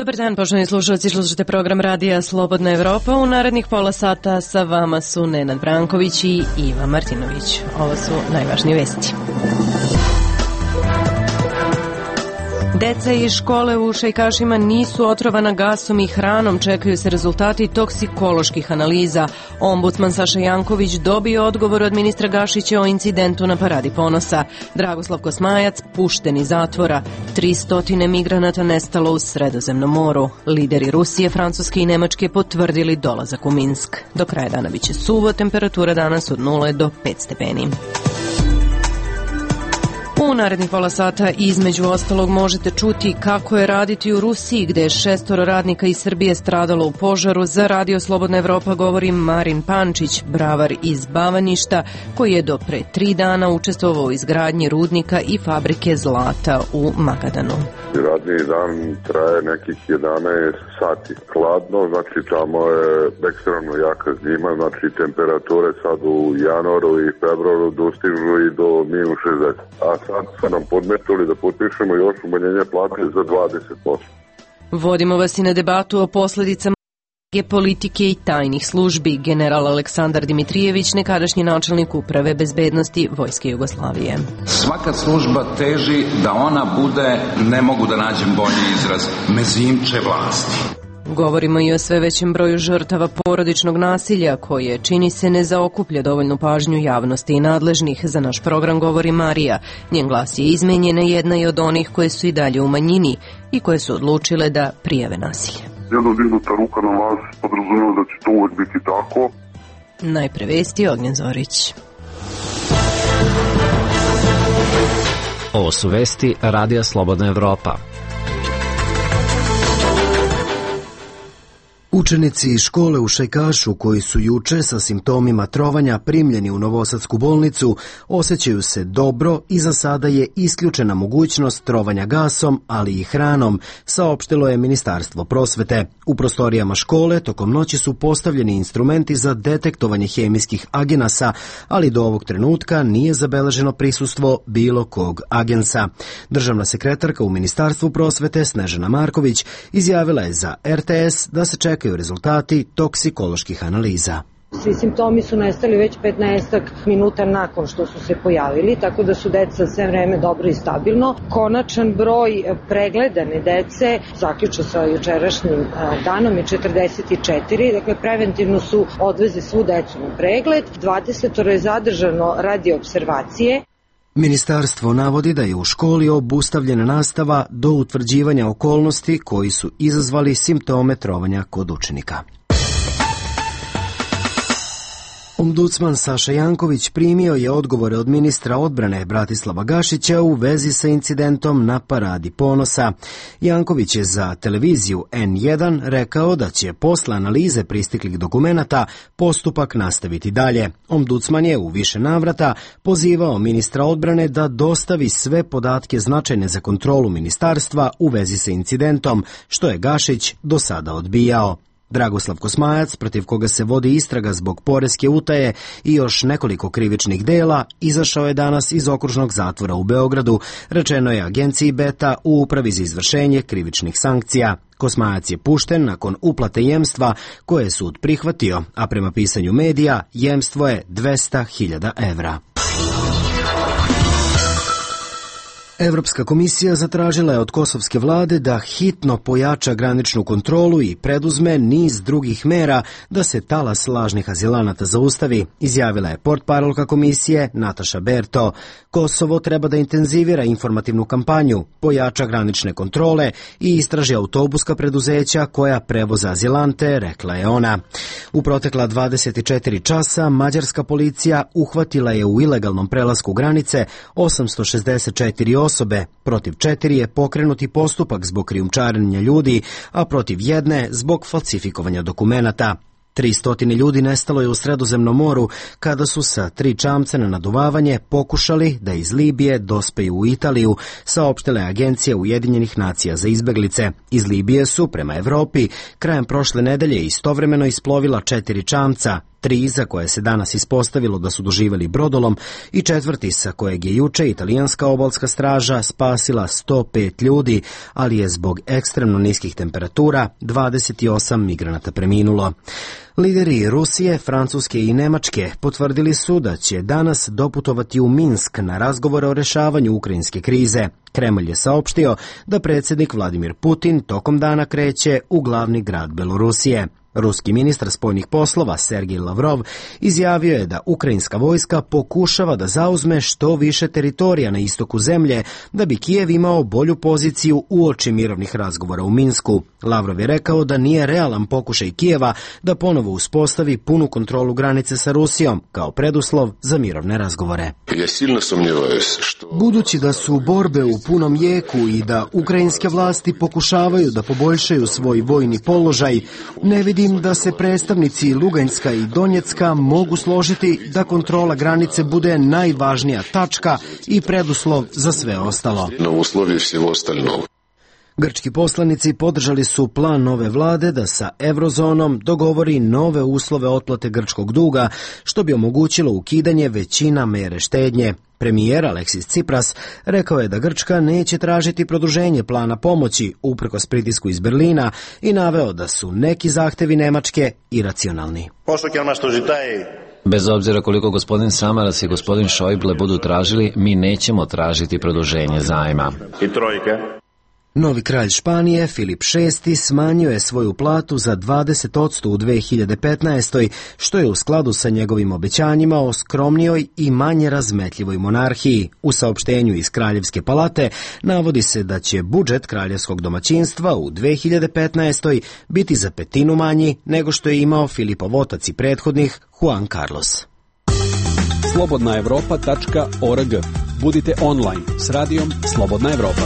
Dobar dan, poštovani slušalci, slušate program Radija Slobodna Evropa. U narednih pola sata sa vama su Nenad Branković i Iva Martinović. Ovo su najvažnije vesti. Deca iz škole u Šajkašima nisu otrovana gasom i hranom, čekaju se rezultati toksikoloških analiza. Ombudsman Saša Janković dobio odgovor od ministra Gašića o incidentu na Paradi ponosa. Dragoslav Kosmajac pušten iz zatvora. 300 migranata nestalo u Sredozemnom moru. Lideri Rusije, Francuske i Nemačke potvrdili dolazak u Minsk. Do kraja dana biće suvo, temperatura danas od 0 do 5 stepeni. U narednih pola sata između ostalog možete čuti kako je raditi u Rusiji, gde je 6 radnika iz Srbije stradalo u požaru. Za Radio Slobodna Evropa govori Marin Pančić, bravar iz Bavaništa, koji je do pre 3 dana učestvovao u izgradnji rudnika i fabrike zlata u Magadanu. Radni dan traje nekih 11 sati. Hladno, znači tamo je ekstremno jaka zima, znači temperature sad u januaru i februaru dostižu i do -60. A sad su nam podmetili da potpišemo još umanjenje plate za 20%. Vodimo vas i na debatu o posledicama politike i tajnih službi. General Aleksandar Dimitrijević, nekadašnji načelnik uprave bezbednosti Vojske Jugoslavije. Svaka služba teži da ona bude, ne mogu da nađem bolji izraz, mezimče vlasti. Govorimo i o sve većem broju žrtava porodičnog nasilja, koje, čini se, ne zaokuplja dovoljnu pažnju javnosti i nadležnih. Za naš program govori Marija. Njen glas je izmenjena, jedna je od onih koje su i dalje u manjini i koje su odlučile da prijave nasilje. Jedna dignuta ruka na vas podrazumijeva da će to uvek biti tako. Najpre vesti, Ognjen Zorić. Ovo su vesti Radija Slobodna Evropa. Učenici iz škole u Šajkašu, koji su juče sa simptomima trovanja primljeni u Novosadsku bolnicu, osjećaju se dobro i za sada je isključena mogućnost trovanja gasom, ali i hranom, saopštilo je Ministarstvo prosvete. U prostorijama škole tokom noći su postavljeni instrumenti za detektovanje hemijskih agenasa, ali do ovog trenutka nije zabeleženo prisustvo bilo kog agensa. Državna sekretarka u Ministarstvu prosvete Snežana Marković izjavila je za RTS da se čekaju rezultati toksikoloških analiza. Svi simptomi su nestali već 15 minuta nakon što su se pojavili, tako da su deca sve vreme dobro i stabilno. Konačan broj pregledane dece, zaključno sa jučerašnjim danom, je 44, dakle preventivno su odvezli svu decu na pregled, 20 je zadržano radi observacije. Ministarstvo navodi da je u školi obustavljena nastava do utvrđivanja okolnosti koji su izazvali simptome trovanja kod učenika. Ombudsman Saša Janković primio je odgovore od ministra odbrane Bratislava Gašića u vezi sa incidentom na Paradi ponosa. Janković je za televiziju N1 rekao da će posle analize pristiglih dokumenata postupak nastaviti dalje. Ombudsman je u više navrata pozivao ministra odbrane da dostavi sve podatke značajne za kontrolu ministarstva u vezi sa incidentom, što je Gašić do sada odbijao. Dragoslav Kosmajac, protiv koga se vodi istraga zbog poreske utaje i još nekoliko krivičnih dela, izašao je danas iz okružnog zatvora u Beogradu, rečeno je agenciji Beta u Upravi za izvršenje krivičnih sankcija. Kosmajac je pušten nakon uplate jemstva koje je sud prihvatio, a prema pisanju medija jemstvo je 200.000 evra. Evropska komisija zatražila je od kosovske vlade da hitno pojača graničnu kontrolu i preduzme niz drugih mera da se talas lažnih azilanata zaustavi, izjavila je portparolka komisije Nataša Berto. Kosovo treba da intenzivira informativnu kampanju, pojača granične kontrole i istraži autobuska preduzeća koja prevoza azilante, rekla je ona. U protekla 24 časa mađarska policija uhvatila je u ilegalnom prelasku granice 864 osobe, protiv 4 je pokrenuti postupak zbog krijumčarenja ljudi, a protiv 1 zbog falsifikovanja dokumenata. 300 ljudi nestalo je u Sredozemnom moru kada su sa 3 čamca na naduvavanje pokušali da iz Libije dospeju u Italiju, saopštile agencije Ujedinjenih nacija za izbeglice. Iz Libije su prema Evropi krajem prošle nedelje istovremeno isplovila 4 čamca. 3 za koje se danas ispostavilo da su doživjeli brodolom i 4. sa kojeg je juče italijanska obalska straža spasila 105 ljudi, ali je zbog ekstremno niskih temperatura 28 migranata preminulo. Lideri Rusije, Francuske i Nemačke potvrdili su da će danas doputovati u Minsk na razgovore o rešavanju ukrajinske krize. Kremlj je saopštio da predsjednik Vladimir Putin tokom dana kreće u glavni grad Belorusije. Ruski ministar spoljnih poslova Sergej Lavrov izjavio je da ukrajinska vojska pokušava da zauzme što više teritorija na istoku zemlje da bi Kijev imao bolju poziciju uoči mirovnih razgovora u Minsku. Lavrov je rekao da nije realan pokušaj Kijeva da ponovo uspostavi punu kontrolu granice sa Rusijom kao preduslov za mirovne razgovore. Budući da su borbe u punom jeku i da ukrajinske vlasti pokušavaju da poboljšaju svoj vojni položaj, ne vidim da se predstavnici Luganjska i Donjecka mogu složiti da kontrola granice bude najvažnija tačka i preduslov za sve ostalo. Grčki poslanici podržali su plan nove vlade da sa eurozonom dogovori nove uslove otplate grčkog duga, što bi omogućilo ukidanje većina mere štednje. Premijer Aleksis Tsipras rekao je da Grčka neće tražiti produženje plana pomoći uprkos pritisku iz Berlina i naveo da su neki zahtevi Nemačke iracionalni. Bez obzira koliko gospodin Samaras i gospodin Šojble budu tražili, mi nećemo tražiti produženje zajma. Novi kralj Španije, Filip VI, smanjio je svoju platu za 20% u 2015. što je u skladu sa njegovim obećanjima o skromnijoj i manje razmetljivoj monarhiji. U saopštenju iz Kraljevske palate navodi se da će budžet kraljevskog domaćinstva u 2015. biti za 1/5 manji nego što je imao Filipov otac i prethodnih Juan Carlos. slobodnaevropa.org. Budite online s radijom Slobodna Evropa.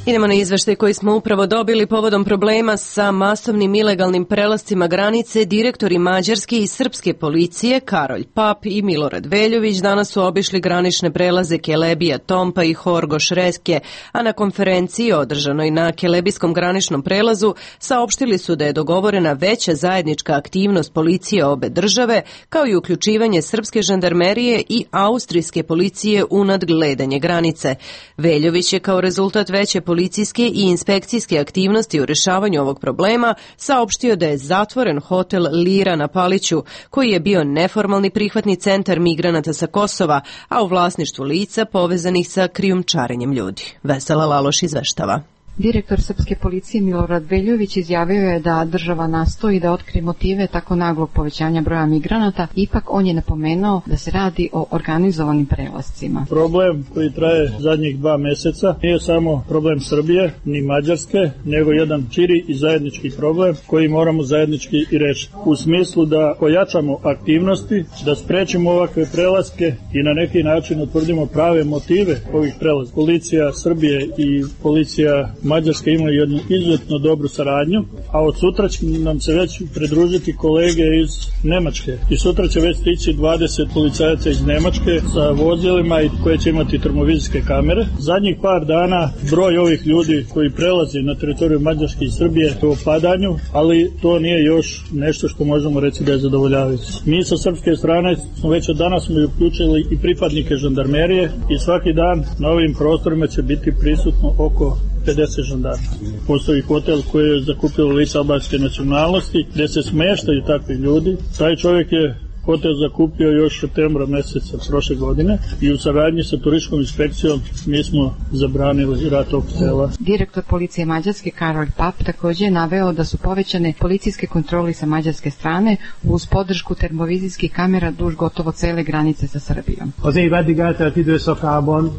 Idemo na izveštaj koji smo upravo dobili povodom problema sa masovnim ilegalnim prelascima granice. Direktori mađarske i srpske policije Karolj Pap i Milorad Veljović danas su obišli granične prelaze Kelebija, Tompa i Horgoš Reske, a na konferenciji održanoj na Kelebijskom graničnom prelazu saopštili su da je dogovorena veća zajednička aktivnost policije obe države, kao i uključivanje srpske žandarmerije i austrijske policije u nadgledanje granice. Veljović je kao rezultat veće policijske i inspekcijske aktivnosti u rešavanju ovog problema saopštio da je zatvoren hotel Lira na Paliću, koji je bio neformalni prihvatni centar migranata sa Kosova, a u vlasništvu lica povezanih sa krijumčarenjem ljudi. Vesela Laloš izveštava. Direktor srpske policije Milorad Veljović izjavio je da država nastoji da otkrije motive tako naglog povećanja broja migranata, ipak on je napomenuo da se radi o organizovanim prelascima. Problem koji traje zadnjih 2 meseca nije samo problem Srbije ni Mađarske, nego jedan širi i zajednički problem koji moramo zajednički i rešiti. U smislu da pojačamo aktivnosti, da sprečimo ovakve prelaske i na neki način utvrdimo prave motive ovih prelaska. Policija Srbije i policija Mađarska imaju jednu izuzetno dobru saradnju, a od sutra će nam se već pridružiti kolege iz Nemačke. I sutra će već stići 20 policajaca iz Nemačke sa vozilima i koje će imati termovizijske kamere. Zadnjih par dana broj ovih ljudi koji prelazi na teritoriju Mađarske i Srbije je u opadanju, ali to nije još nešto što možemo reći da je zadovoljavajuće. Mi sa srpske strane smo već od danas uključili i pripadnike žandarmerije i svaki dan na ovim prostorima će biti prisutno oko 50 žandarma. Postoji hotel koji je zakupilo lica albanske nacionalnosti gde se smeštaju takvi ljudi. Taj čovjek je hotel zakupio još septembra meseca prošle godine i u saradnji sa turističkom inspekcijom mi smo zabranili rad tog hotela. Direktor policije Mađarske Karolj Pap također je naveo da su povećane policijske kontrole sa mađarske strane uz podršku termovizijskih kamera duž gotovo cele granice sa Srbijom.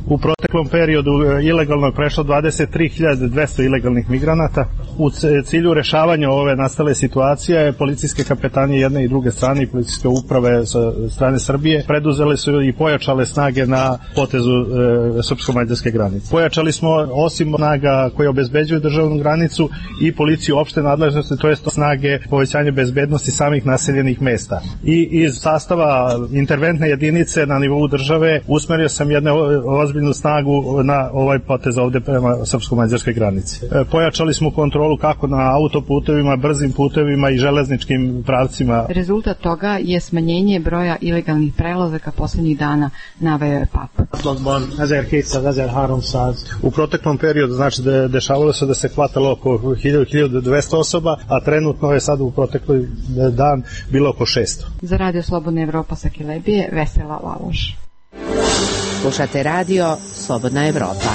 U proteklom periodu ilegalno je prešlo 23.200 ilegalnih migranata. U cilju rešavanja ove nastale situacije policijske kapetanije jedne i druge strane i policijske uprave uprave sa strane Srbije preduzele su i pojačale snage na potezu srpsko-mađarske granice. Pojačali smo osim snaga koje obezbeđuju državnu granicu i policiju opšte nadležnosti, to jest snage povećanja bezbednosti samih naseljenih mesta. I iz sastava interventne jedinice na nivou države usmerio sam jednu ozbiljnu snagu na ovaj potez ovde prema srpsko-mađarskoj granici. Pojačali smo kontrolu kako na autoputevima, brzim putevima i železničkim pravcima. Rezultat toga je smanjenje broja ilegalnih prelazaka poslednjih dana, naveo je PAP. U proteklom periodu, znači dešavalo se da se hvatalo oko 1200 osoba, a trenutno je sad u protekloj dan bilo oko 600. Za Radio Slobodna Evropa sa Kelebije, Vesela Laloš. Slušate Radio Slobodna Evropa.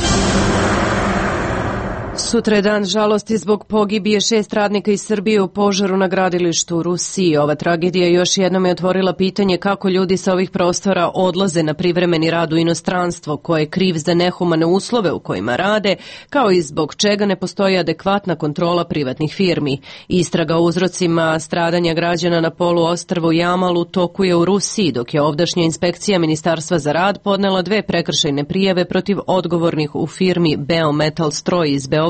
Sutra je dan žalosti zbog pogibije 6 radnika iz Srbije u požaru na gradilištu u Rusiji. Ova tragedija još jednom je otvorila pitanje kako ljudi sa ovih prostora odlaze na privremeni rad u inostranstvo, ko je kriv za nehumane uslove u kojima rade, kao i zbog čega ne postoji adekvatna kontrola privatnih firmi. Istraga o uzrocima stradanja građana na poluostrvu Jamal u toku je u Rusiji, dok je ovdašnja inspekcija Ministarstva za rad podnela 2 prekršajne prijave protiv odgovornih u firmi Beometal Stroj iz Beograda,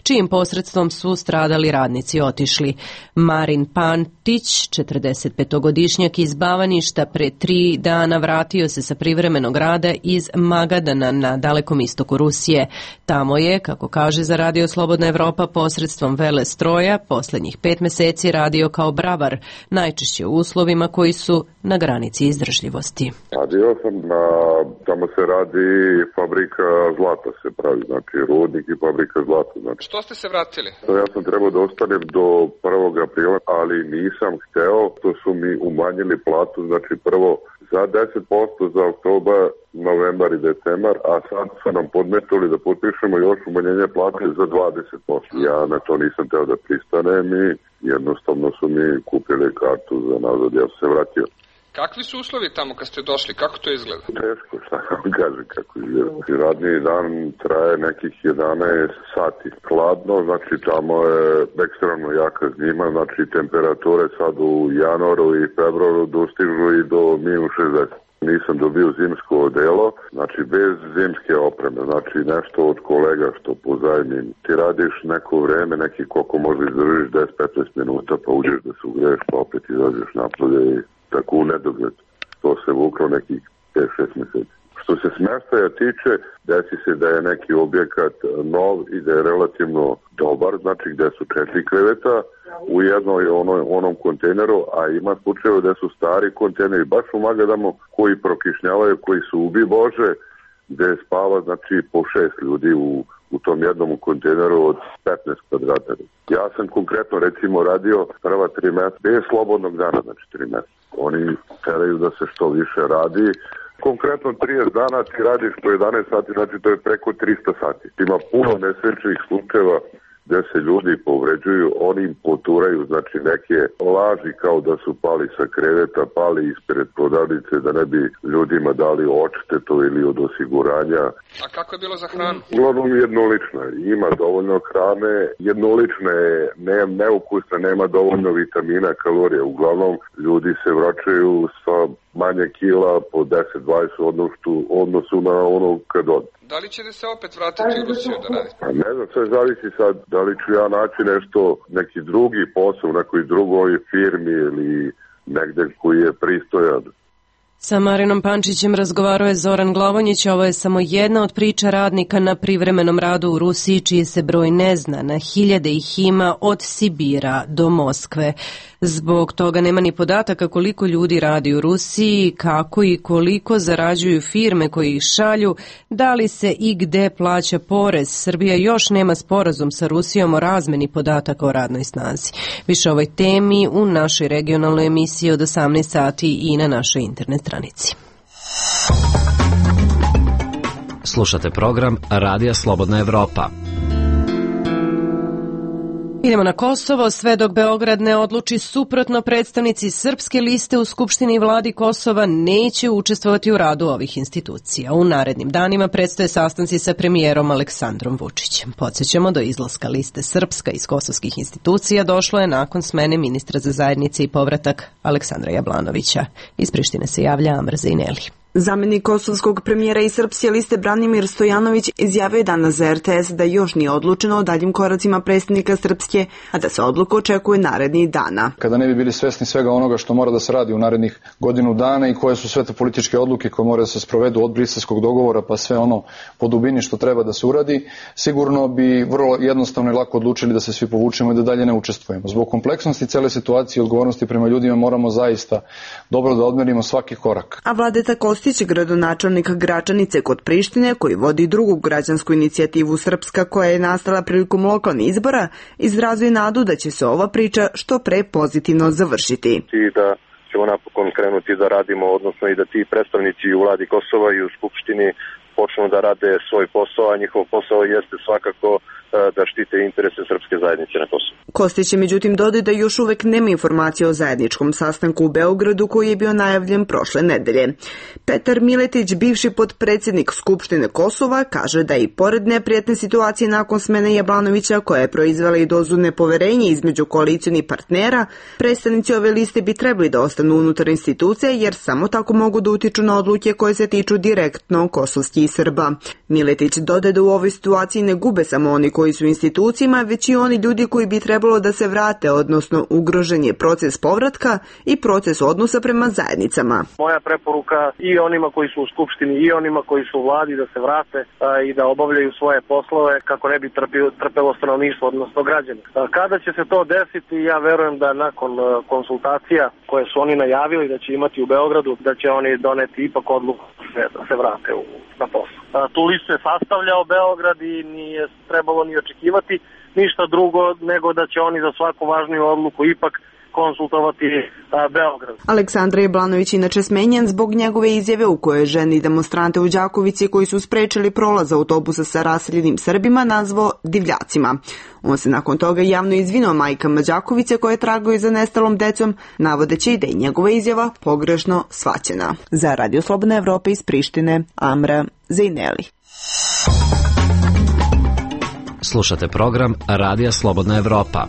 čijim posredstvom su stradali radnici otišli. Marin Pantić, 45-godišnjak iz Bavaništa, pre 3 dana vratio se sa privremenog rada iz Magadana na dalekom istoku Rusije. Tamo je, kako kaže za Radio Slobodna Evropa, posredstvom vele stroja poslednjih 5 meseci radio kao bravar, najčešće u uslovima koji su na granici izdržljivosti. Radio sam tamo se radi fabrika zlata se pravi, znači rudnik i fabrika zlata. Znači. Što ste se vratili? Ja sam trebao da ostanem do 1. aprila, ali nisam hteo, to su mi umanjili platu, znači prvo za 10% za oktobar, novembar i decembar, a sad su nam podmetili da potpišemo još umanjenje plate za 20%. Ja na to nisam teo da pristanem i jednostavno su mi kupili kartu za nazad, ja sam se vratio. Kakvi su uslovi tamo kad ste došli? Kako to izgleda? Teško, šta vam kaže kako izgleda. Radni dan traje nekih 11 sati. Hladno, znači tamo je ekstremno jaka zima, znači temperature sad u januaru i februaru dostižu i do -60. Nisam dobio zimsko odelo, znači bez zimske opreme, znači nešto od kolega što pozajmim. Ti radiš neko vreme, neki koliko može izdržiš 10-15 minuta, pa uđeš da se ugreješ, pa opet izađeš napolje i tako u nedogled. To se vuklo nekih 5-6 meseci. Što se smještaja tiče, desi se da je neki objekat nov i da je relativno dobar, znači gde su 4 kreveta u onom kontejneru, a ima slučajeva da su stari kontejneri, baš u Magadamu, koji prokišnjavaju, koji su ubi Bože, gde spava znači po 6 ljudi u tom jednom kontejneru od 15 kvadrata. Ja sam konkretno recimo radio prva 3 meseca bez slobodnog dana, znači 3 meseca. Oni teraju da se što više radi. Konkretno 30 dana ti radiš po 11 sati, znači to je preko 300 sati. Ima puno nesrećnih slučajeva gde se ljudi povređuju, oni im poturaju, znači neke laži kao da su pali sa kreveta, pali ispred prodavnice da ne bi ljudima dali odštetu ili od osiguranja. A kako je bilo za hranu? Uglavnom jednolično je, ima dovoljno hrane, jednolično je, neukusna, nema dovoljno vitamina, kalorija. Uglavnom ljudi se vraćaju sa manje kila po 10-20 odnosu na ono kad od. Da li ćete se opet vratiti u Rusiju da radite? Ne znam, sve zavisi sad da li ću ja naći neki drugi posao u nekoj drugoj firmi ili negde koji je pristojan. Sa Marinom Pančićem razgovarao je Zoran Glavonjić. Ovo je samo jedna od priča radnika na privremenom radu u Rusiji, čiji se broj ne zna. Na hiljade ih ima od Sibira do Moskve. Zbog toga nema ni podataka koliko ljudi radi u Rusiji, kako i koliko zarađuju firme koji ih šalju, da li se i gde plaća porez. Srbija još nema sporazum sa Rusijom o razmeni podataka o radnoj snazi. Više o ovoj temi u našoj regionalnoj emisiji od 18 sati i na našoj internet stranici. Slušate program Radija Slobodna Evropa. Idemo na Kosovo. Sve dok Beograd ne odluči suprotno, predstavnici srpske liste u Skupštini i vladi Kosova neće učestvovati u radu ovih institucija. U narednim danima predstoje sastanci sa premijerom Aleksandrom Vučićem. Podsjećamo, do izlaska liste Srpska iz kosovskih institucija došlo je nakon smene ministra za zajednice i povratak Aleksandra Jablanovića. Iz Prištine se javlja Amr Zejneli. Zamenik kosovskog premijera i srpske liste Branimir Stojanović izjavio je danas za RTS da još nije odlučeno o daljim koracima predsjednika Srpske, a da se odluka očekuje narednih dana. Kada ne bi bili svesni svega onoga što mora da se radi u narednih godinu dana i koje su sve te političke odluke koje mora da se sprovedu od briselskog dogovora pa sve ono po dubini što treba da se uradi, sigurno bi vrlo jednostavno i lako odlučili da se svi povučemo i da dalje ne učestvujemo. Zbog kompleksnosti cele situacije i odgovornosti prema ljudima moramo zaista dobro da odmerimo svaki korak. A Vladeta Kostić, gradonačelnik Gračanice kod Prištine, koji vodi drugu građansku inicijativu Srpska koja je nastala prilikom lokalnih izbora, izrazuje nadu da će se ova priča što pre pozitivno završiti. I da ćemo napokon krenuti da radimo, odnosno i da ti predstavnici u vladi Kosova i u Skupštini počnu da rade svoj posao, a njihov posao jeste svakako da štite interese srpske zajednice na Kosovu. Kostić je međutim dodao da još uvek nema informacije o zajedničkom sastanku u Beogradu koji je bio najavljen prošle nedelje. Petar Miletić, bivši potpredsjednik Skupštine Kosova, kaže da i pored neprijatne situacije nakon smene Jablanovića koja je proizvela i dozu nepoverenja između koalicionih partnera, predstavnici ove liste bi trebali da ostanu unutar institucije jer samo tako mogu da utiču na odluke koje se tiču direktno kosovskih Srba. Miletić dodaje da u ovoj situaciji ne gube samo oni koji su u institucijama, već i oni ljudi koji bi trebalo da se vrate, odnosno ugrožen je proces povratka i proces odnosa prema zajednicama. Moja preporuka i onima koji su u Skupštini i onima koji su u vladi da se vrate i da obavljaju svoje poslove kako ne bi trpelo stanovništvo, odnosno građani. Kada će se to desiti, ja verujem da nakon konsultacija koje su oni najavili da će imati u Beogradu, da će oni doneti ipak odluku da se vrate na posao. Tu listu je sastavljao Beograd i nije trebalo ni očekivati ništa drugo nego da će oni za svaku važniju odluku ipak konsultovati Beograd. Aleksandar Jablanović inače smenjen zbog njegove izjave u kojoj ženi demonstrante u Đakovici koji su sprečili prolaz autobusa sa raseljenim Srbima nazvao divljacima. On se nakon toga javno izvinio majkama Đakovice koje tragaju za nestalom decom, navodeći da je njegova izjava pogrešno shvaćena. Za Radio Slobodna Evropa iz Prištine, Amra Zejneli. Slušate program Radija Slobodna Evropa.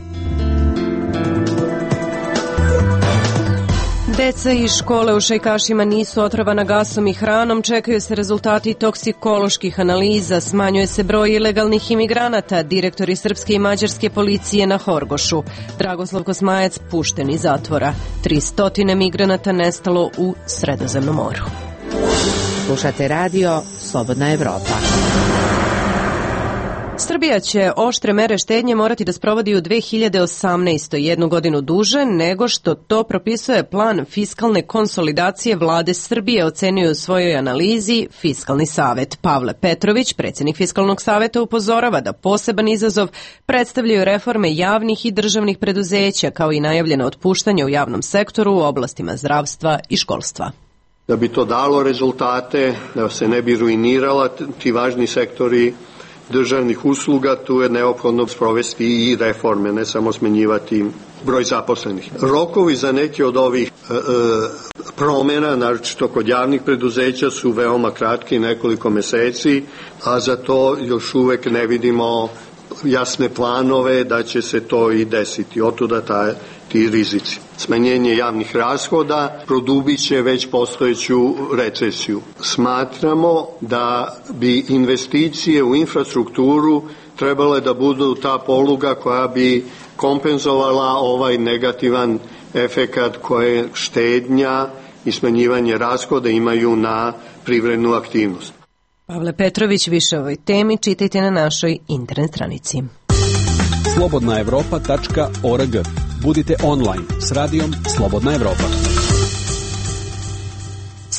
Deca iz škole u Šajkašima nisu otrovana gasom i hranom, čekaju se rezultati toksikoloških analiza, smanjuje se broj ilegalnih imigranata, direktori srpske i mađarske policije na Horgošu. Dragoslav Kosmajac pušten iz zatvora. 300 migranata nestalo u Sredozemnom moru. Slušate radio Slobodna Evropa. Srbija će oštre mere štednje morati da sprovodi u 2018. jednu godinu duže nego što to propisuje plan fiskalne konsolidacije vlade Srbije, ocenio u svojoj analizi Fiskalni savet. Pavle Petrović, predsjednik Fiskalnog saveta, upozorava da poseban izazov predstavljaju reforme javnih i državnih preduzeća, kao i najavljeno otpuštanje u javnom sektoru u oblastima zdravstva i školstva. Da bi to dalo rezultate, da se ne bi ruinirala ti važni sektori državnih usluga, tu je neophodno sprovesti i reforme, ne samo smenjivati broj zaposlenih. Rokovi za neke od ovih promjena, naročito kod javnih preduzeća, su veoma kratki, nekoliko meseci, a za to još uvek ne vidimo jasne planove da će se to i desiti. Otuda ti rizici. Smanjenje javnih rashoda produbit će već postojeću recesiju. Smatramo da bi investicije u infrastrukturu trebale da budu ta poluga koja bi kompenzovala ovaj negativan efekat koje štednja i smanjivanje rashoda imaju na privrednu aktivnost. Pavle Petrović, više o ovoj temi čitajte na našoj internet stranici. slobodnaevropa.org. Budite online s radijom Slobodna Evropa.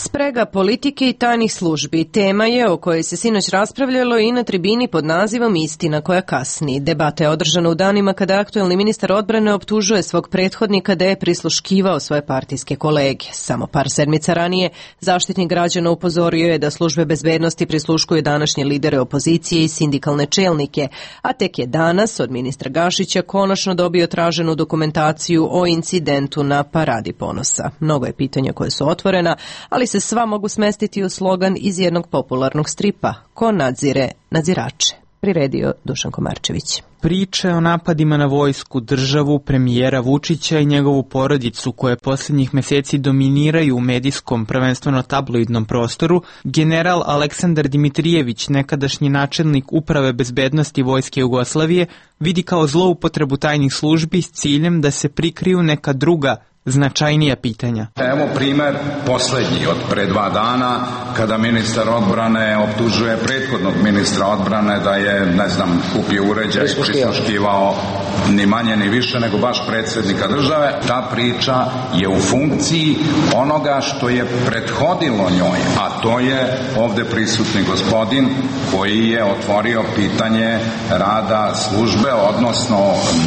Sprega politike i tajnih službi tema je o kojoj se sinoć raspravljalo i na tribini pod nazivom Istina koja kasni. Debata je održana u danima kada aktuelni ministar odbrane optužuje svog prethodnika da je prisluškivao svoje partijske kolege. Samo par sedmica ranije Zaštitnik građana upozorio je da službe bezbednosti prisluškuju današnje lidere opozicije i sindikalne čelnike, a tek je danas od ministra Gašića konačno dobio traženu dokumentaciju o incidentu na Paradi ponosa. Mnogo je pitanja koje su otvorena, ali se sva mogu smestiti u slogan iz jednog popularnog stripa: ko nadzire nadzirače. Priredio Dušan Komarčević. Priče o napadima na vojsku, državu, premijera Vučića i njegovu porodicu, koje posljednjih meseci dominiraju u medijskom, prvenstveno tabloidnom prostoru, general Aleksandar Dimitrijević, nekadašnji načelnik Uprave bezbednosti Vojske Jugoslavije, vidi kao zloupotrebu tajnih službi s ciljem da se prikriju neka druga, značajnija pitanja. Evo primer poslednji od pre 2 dana, kada ministar odbrane optužuje prethodnog ministra odbrane da je, ne znam, kupio uređaj i prisluškivao ni manje ni više nego baš predsjednika države. Ta priča je u funkciji onoga što je prethodilo njoj, a to je ovde prisutni gospodin koji je otvorio pitanje rada službe, odnosno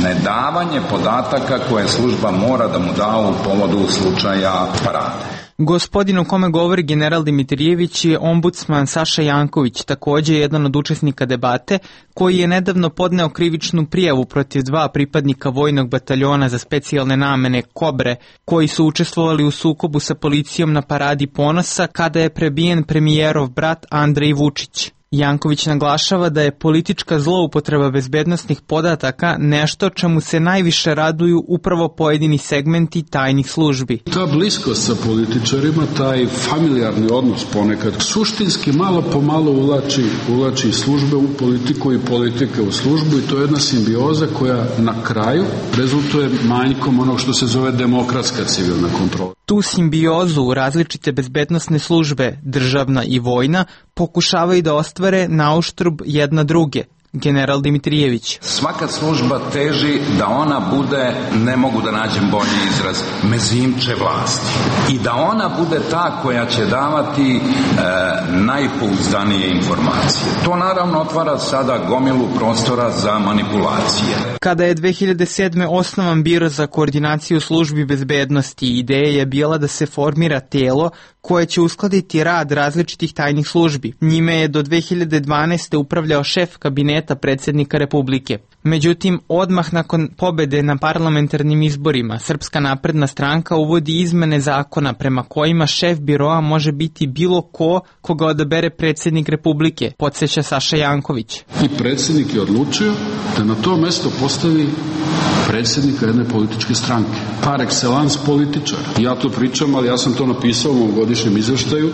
nedavanje podataka koje služba mora da mu da u povodu slučaja Parade. Gospodin o kome govori general Dimitrijević je ombudsman Saša Janković, također jedan od učesnika debate, koji je nedavno podneo krivičnu prijavu protiv 2 pripadnika vojnog bataljona za specijalne namene Kobre, koji su učestvovali u sukobu sa policijom na Paradi ponosa kada je prebijen premijerov brat Andrej Vučić. Janković naglašava da je politička zloupotreba bezbednosnih podataka nešto čemu se najviše raduju upravo pojedini segmenti tajnih službi. Ta bliskost sa političarima, taj familijarni odnos ponekad, suštinski malo po malo uvlači službe u politiku i politike u službu, i to je jedna simbioza koja na kraju rezultuje manjkom onog što se zove demokratska civilna kontrola. Tu simbiozu različite bezbednosne službe, državna i vojna, pokušavaju da ostvare nauštrb jedna druge. General Dimitrijević. Svaka služba teži da ona bude, ne mogu da nađem bolji izraz, mezimče vlasti. I da ona bude ta koja će davati najpouzdanije informacije. To naravno otvara sada gomilu prostora za manipulacije. Kada je 2007. osnovan Biro za koordinaciju službi bezbednosti, ideja je bila da se formira telo koje će uskladiti rad različitih tajnih službi. Njime je do 2012. upravljao šef kabineta predsjednika Republike. Međutim, odmah nakon pobede na parlamentarnim izborima, Srpska napredna stranka uvodi izmene zakona prema kojima šef biroa može biti bilo koga odabere predsjednik Republike, podsjeća Saša Janković. I predsjednik je odlučio da na to mesto postavi predsjednika jedne političke stranke. Par excellence političar. Ja to pričam, ali ja sam to napisao u mom godišnjem izveštaju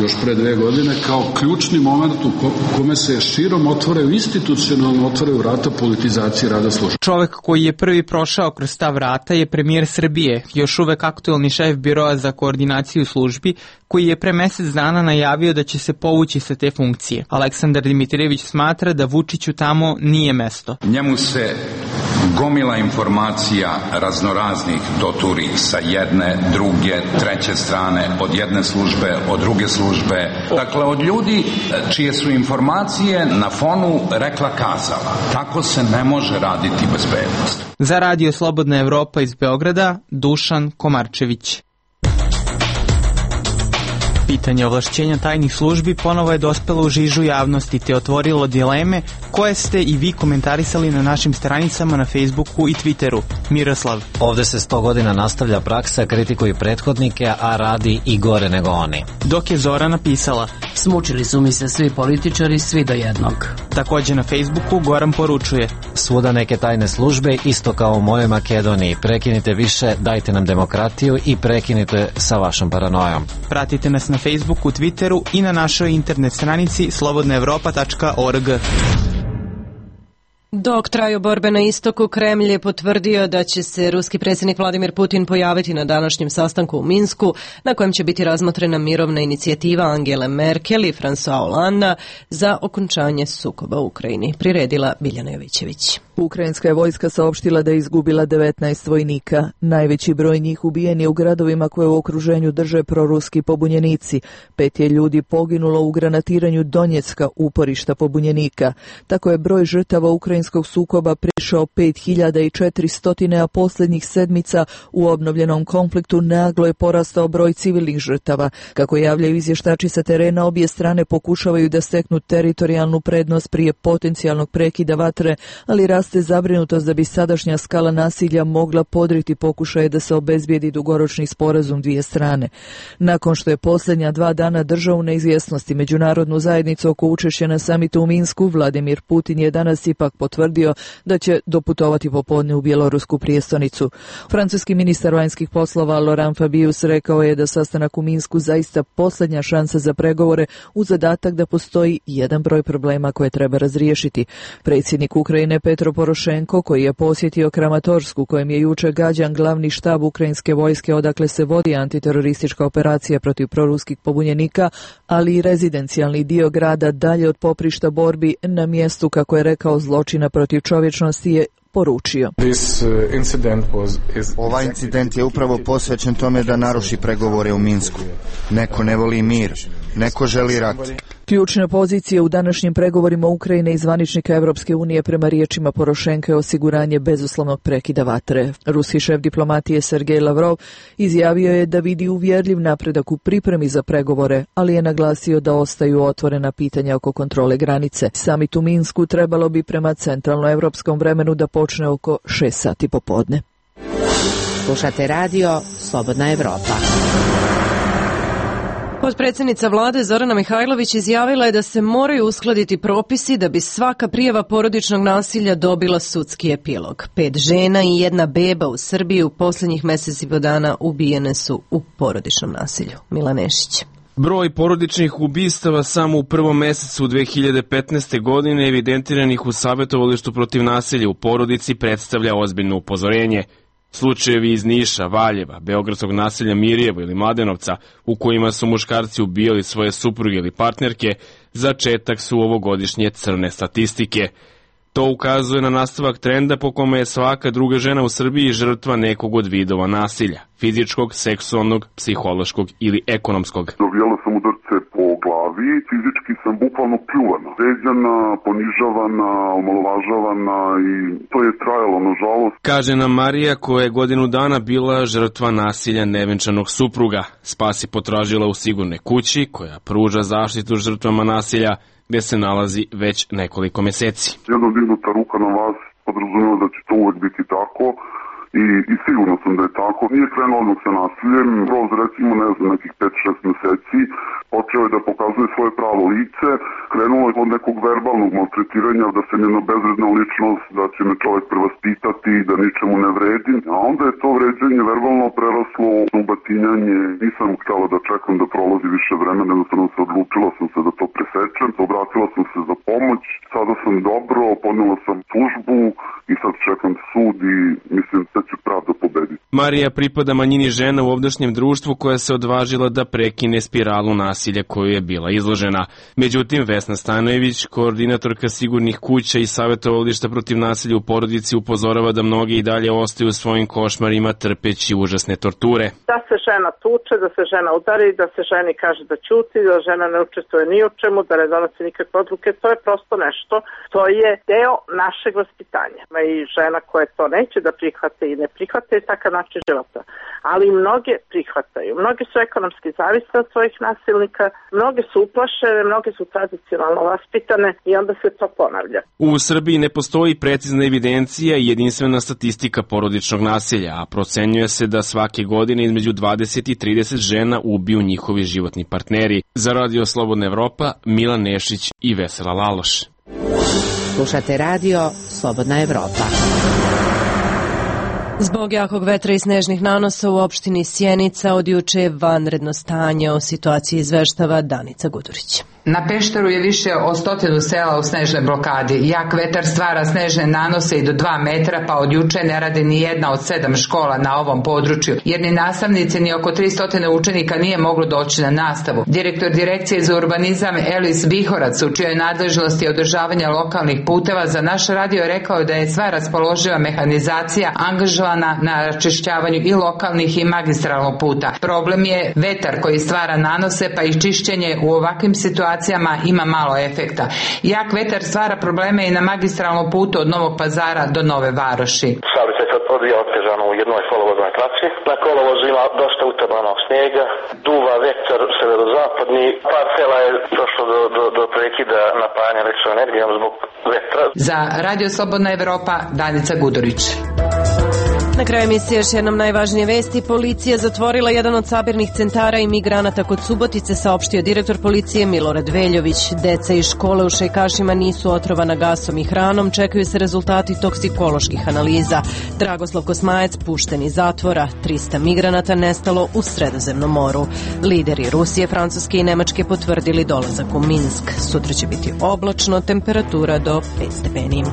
još pre 2 godine kao ključni moment u kome se širom institucionalno otvaraju vrata politizacije rada službe. Čovek koji je prvi prošao kroz ta vrata je premijer Srbije, još uvek aktuelni šef Biroa za koordinaciju službi, koji je pre mesec dana najavio da će se povući sa te funkcije. Aleksandar Dimitrijević smatra da Vučiću tamo nije mesto. Njemu se gomila informacija raznoraznih doturi sa jedne, druge, treće strane, od jedne službe, od druge službe. Dakle, od ljudi čije su informacije na fonu rekla kazala. Tako se ne može raditi bezbednost. Za Radio Slobodna Evropa iz Beograda, Dušan Komarčević. Pitanje ovlašćenja tajnih službi ponovo je dospelo u žižu javnosti te otvorilo dileme koje ste i vi komentarisali na našim stranicama na Facebooku i Twitteru. Miroslav. Ovde se 100 godina nastavlja praksa, kritikuju prethodnike, a radi i gore nego oni. Dok je Zora napisala: smučili su mi se svi političari, svi do jednog. Također na Facebooku Goran poručuje: svuda neke tajne službe, isto kao u mojoj Makedoniji. Prekinite više, dajte nam demokratiju i prekinite sa vašom paranojom. Pratite nas na Facebooku, Twitteru i na našoj internet stranici slobodnaevropa.org. Dok traju borbe na istoku, Kremlj je potvrdio da će se ruski predsjednik Vladimir Putin pojaviti na današnjem sastanku u Minsku, na kojem će biti razmotrena mirovna inicijativa Angele Merkel i François Hollanda za okončanje sukoba u Ukrajini. Priredila Biljana Jovićević. Ukrajinska je vojska saopštila da je izgubila 19 vojnika. Najveći broj njih ubijen je u gradovima koje u okruženju drže proruski pobunjenici. 5 je ljudi poginulo u granatiranju Donjecka, uporišta pobunjenika. Tako je broj žrtava ukrajinskog sukoba prišao 5400, a posljednjih sedmica u obnovljenom konfliktu naglo je porastao broj civilnih žrtava. Kako javljaju izvještači sa terena, obje strane pokušavaju da steknu teritorijalnu prednost prije potencijalnog prekida vatre, ali raste zabrinutost da bi sadašnja skala nasilja mogla podriti pokušaje da se obezbijedi dugoročni sporazum dvije strane. Nakon što je posljednja 2 dana držao u neizvjesnosti međunarodnu zajednicu oko učešća na samitu u Minsku, Vladimir Putin je danas ipak potvrdio da će doputovati popodne u bjelorusku prijestolnicu. Francuski ministar vanjskih poslova Laurent Fabius rekao je da sastanak u Minsku zaista posljednja šansa za pregovore uz zadatak da postoji jedan broj problema koje treba razriješiti. Predsjednik Ukrajine Petro Porošenko, koji je posjetio Kramatorsku, kojem je jučer gađan glavni štab ukrajinske vojske odakle se vodi antiteroristička operacija protiv proruskih pobunjenika, ali i rezidencijalni dio grada dalje od poprišta borbi na mjestu, kako je rekao, zločina protiv čovječnosti, je poručio. Ovaj incident je upravo posvećen tome da naruši pregovore u Minsku. Neko ne voli mir, neko želi rat. Ključne pozicije u današnjim pregovorima Ukrajine i zvaničnika Evropske unije prema riječima Porošenka je osiguranje bezuslovnog prekida vatre. Ruski šef diplomatije Sergej Lavrov izjavio je da vidi uvjerljiv napredak u pripremi za pregovore, ali je naglasio da ostaju otvorena pitanja oko kontrole granice. Samit u Minsku trebalo bi prema centralnoevropskom vremenu da počne oko 6 sati popodne. Slušate radio Slobodna Evropa. Potpredsjednica vlade Zorana Mihajlović izjavila je da se moraju uskladiti propisi da bi svaka prijava porodičnog nasilja dobila sudski epilog. 5 žena i 1 beba u Srbiji u posljednjih mjesec i po dana ubijene su u porodičnom nasilju. Milan Nešić. Broj porodičnih ubistava samo u prvom mjesecu 2015. godine evidentiranih u savjetovalištu protiv nasilja u porodici predstavlja ozbiljno upozorenje. Slučajevi iz Niša, Valjeva, beogradskog naselja Mirjevo ili Mladenovca, u kojima su muškarci ubijali svoje supruge ili partnerke, začetak su ovogodišnje crne statistike. To ukazuje na nastavak trenda po kome je svaka druga žena u Srbiji žrtva nekog od vidova nasilja, fizičkog, seksualnog, psihološkog ili ekonomskog. Dobijala sam udarce po glavi, fizički sam bukvalno pljuvana, vređana, ponižavana, omalovažavana i to je trajalo, nažalost. Kaže nam Marija, koja je godinu dana bila žrtva nasilja nevenčanog supruga. Spas je potražila u sigurnoj kući, koja pruža zaštitu žrtvama nasilja, gdje se nalazi već nekoliko mjeseci. Jedna dignuta ruka na vas podrazumijeva da će to uvek biti tako i sigurno sam da je tako. Nije krenuo odmah sa nasiljem, kroz recimo nekih 5-6 mjeseci počeo je da pokazuje svoje pravo lice, krenulo je od nekog verbalnog maltretiranja, da se njena bezvredna ličnost, da će me čovjek prevaspitati, da ničemu ne vredi, a onda je to vređanje verbalno preraslo u batinjanje. Nisam htjela da čekam da prolazi više vremena, jednostavno se odlučila sam se da to presečem, obratila sam se za pomoć, sada sam dobro, podnijela sam tužbu i sad čekam sud i mislim da će pravda pobediti. Marija pripada manjini žena u ovdašnjem društvu koja se odvažila da prekine spiralu nasilja koju je bila izložena. Međutim, Vesna Stanojević, koordinatorka sigurnih kuća i savjetovališta protiv nasilja u porodici, upozorava da mnogi i dalje ostaju u svojim košmarima trpeći užasne torture. Da se žena tuče, da se žena udari, da se ženi kaže da ćuti, da žena ne učestvuje ni u čemu, da ne donosi nikakve odluke, to je prosto nešto. To je deo našeg vaspitanja. I žena koje to neće da prihvate i ne prihvate je takav način života. Ali mnoge prihvataju. Mnoge su ekonomski zavisne od svojih nasilnika, mnoge su uplašene, mnoge su tradicionalno vaspitane i onda se to ponavlja. U Srbiji ne postoji precizna evidencija i jedinstvena statistika porodičnog nasilja, a procenjuje se da svake godine između 20 i 30 žena ubiju njihovi životni partneri. Za Radio Slobodna Evropa, Milan Nešić i Vesela Laloš. Slušate radio Slobodna Evropa. Zbog jakog vetra i snežnih nanosa u opštini Sjenica od juče je vanredno stanje. O situaciji izveštava Danica Gudurić. Na Pešteru je više od 100 sela u snežnoj blokadi. Jak vetar stvara snežne nanose i do 2 metra, pa od juče ne radi ni jedna od 7 škola na ovom području, jer ni nastavnici ni oko 300 učenika nije moglo doći na nastavu. Direktor Direkcije za urbanizam Elis Bihorac, u čijoj nadležnosti održavanja lokalnih puteva, za naš radio je rekao da je sva raspoloživa mehanizacija angažovana na račišćavanju i lokalnih i magistralnog puta. Problem je vetar koji stvara nanose, pa i čišćenje u ovakvim situacijama ima malo efekta. Jak vetar stvara probleme i na magistralnom putu od Novog Pazara do Nove Varoši. Saobraćaj se odvija otežano u jednoj kolovoznoj traci. Na kolovozu ima dosta utabanog snijega, duva vetar severozapadni, par sela je došlo do prekida napajanja električnom energijom zbog vetra. Za Radio Slobodna Evropa, Danica Gudurić. Na kraju emisije još jednom najvažnije vesti. Policija zatvorila jedan od sabirnih centara imigranata kod Subotice, saopštio direktor policije Milorad Veljović. Deca iz škole u Šajkašima nisu otrovana gasom i hranom, čekaju se rezultati toksikoloških analiza. Dragoslav Kosmajac pušten iz zatvora, 300 migranata nestalo u Sredozemnom moru. Lideri Rusije, Francuske i Nemačke potvrdili dolazak u Minsk. Sutra će biti oblačno, temperatura do 5 stepeni.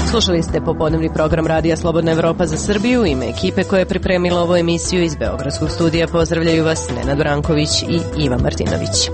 Slušali ste popodnevni program Radija Slobodna Evropa za Srbiju. Ime ekipe koja je pripremila ovu emisiju iz Beogradskog studija pozdravljaju vas Nenad Branković i Ivan Martinović.